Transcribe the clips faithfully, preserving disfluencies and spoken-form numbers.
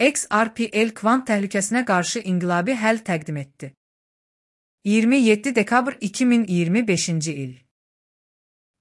X R P L kvant təhlükəsinə qarşı inqilabi həll təqdim etdi. iyirmi yeddi dekabr iki min iyirmi beşinci il.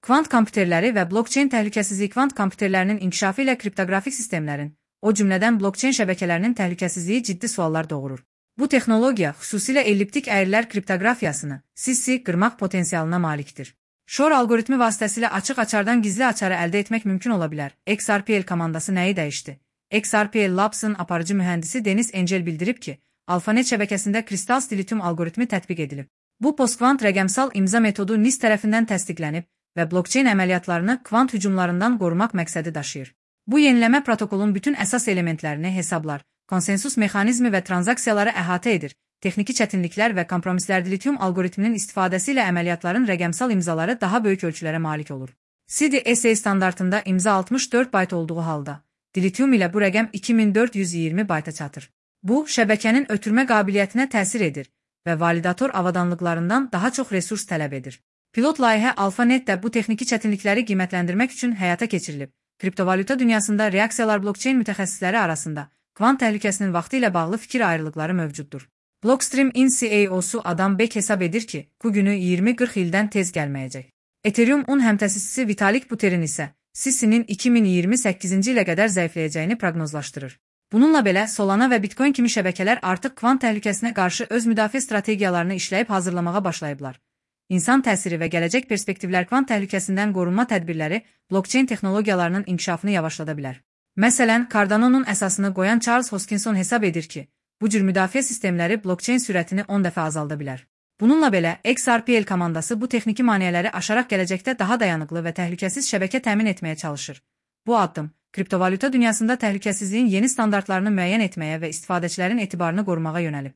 Kvant kompüterləri və blokçeyn təhlükəsizliyi kvant kompüterlərinin inkişafı ilə kriptoqrafik sistemlərin, o cümlədən blokçeyn şəbəkələrinin təhlükəsizliyi ciddi suallar doğurur. Bu texnologiya xüsusilə elliptik əyrilər kriptoqrafiyasını, C C qırmaq potensialına malikdir. Shor algoritmi vasitəsilə açıq-açardan gizli açarı əldə etmək mümkün ola bilər. X R P L komandası nəyi dəyişdi? X R P L Labs-ın aparıcı mühəndisi Denis Angel bildirib ki, AlphaNet şəbəkəsində kristal dilithium algoritmi tətbiq edilib. Bu postkvant rəqəmsal imza metodu N I S tərəfindən təsdiqlənib və blokçeyn əməliyyatlarını kvant hücumlarından qorumaq məqsədi daşıyır. Bu yeniləmə protokolun bütün əsas elementlərini hesablar, konsensus mexanizmi və tranzaksiyaları əhatə edir. Texniki çətinliklər və kompromislər dilithium algoritminin istifadəsi ilə əməliyyatların rəqəmsal imzaları daha böyük ölçülərə malik olur. C D S A standartında imza altmış dörd bayt olduğu halda, dilithium ilə bu rəqəm iki min dörd yüz iyirmi bayta çatır. Bu, şəbəkənin ötürmə qabiliyyətinə təsir edir və validator avadanlıqlarından daha çox resurs tələb edir. Pilot layihə AlphaNet-də bu texniki çətinlikləri qiymətləndirmək üçün həyata keçirilib. Kriptovalyuta dünyasında reaksiyalar blokçeyn mütəxəssisləri arasında kvant təhlükəsinin vaxtı ilə bağlı fikir ayrılıqları mövcuddur. Blockstream in C E O-su Adam Beck hesab edir ki, bu günü iyirmi qırx ildən tez gəlməyəcək. Ethereum-un həmtəsisisi Vitalik Buterin isə C C N'in iki min iyirmi səkkizinci ilə qədər zəifləyəcəyini proqnozlaşdırır. Bununla belə, Solana və Bitcoin kimi şəbəkələr artıq kvant təhlükəsinə qarşı öz müdafiə strategiyalarını işləyib hazırlamağa başlayıblar. İnsan təsiri və gələcək perspektivlər kvant təhlükəsindən qorunma tədbirləri blokçeyn texnologiyalarının inkişafını yavaşlada bilər. Məsələn, Cardano'nun əsasını qoyan Charles Hoskinson hesab edir ki, bu cür müdafiə sistemləri blokçeyn sürətini on dəfə azalda bilər. Bununla belə, X R P L komandası bu texniki maneələri aşaraq gələcəkdə daha dayanıqlı və təhlükəsiz şəbəkə təmin etməyə çalışır. Bu addım, kriptovalyuta dünyasında təhlükəsizliyin yeni standartlarını müəyyən etməyə və istifadəçilərin etibarını qorumağa yönəlib.